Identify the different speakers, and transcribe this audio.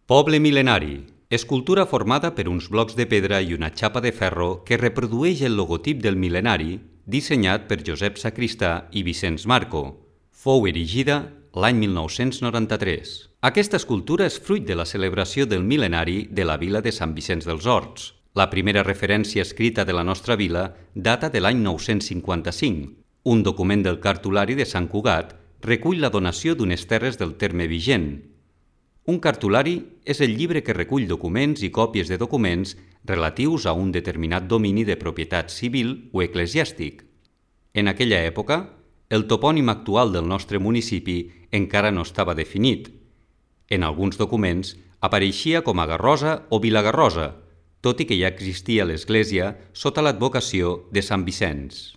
Speaker 1: Poble mil·lenari. Escultura formada per uns blocs de pedra i una xapa de ferro que reprodueix el logotip del mil·lenari dissenyat per Josep Sacristà i Vicenç Marco. Fou erigida l'any 1993. Aquesta escultura és fruit de la celebració del mil·lenari de la vila de Sant Vicenç dels Horts. La primera referència escrita de la nostra vila data de l'any 955. Un document del cartulari de Sant Cugat recull la donació d'unes terres del terme vigent. Un cartulari és el llibre que recull documents i còpies de documents relatius a un determinat domini de propietat civil o eclesiàstic. En aquella època, el topònim actual del nostre municipi encara no estava definit. En alguns documents apareixia com a Garrosa o Vilagarrosa, tot i que ja existia l'església sota l'advocació de Sant Vicenç.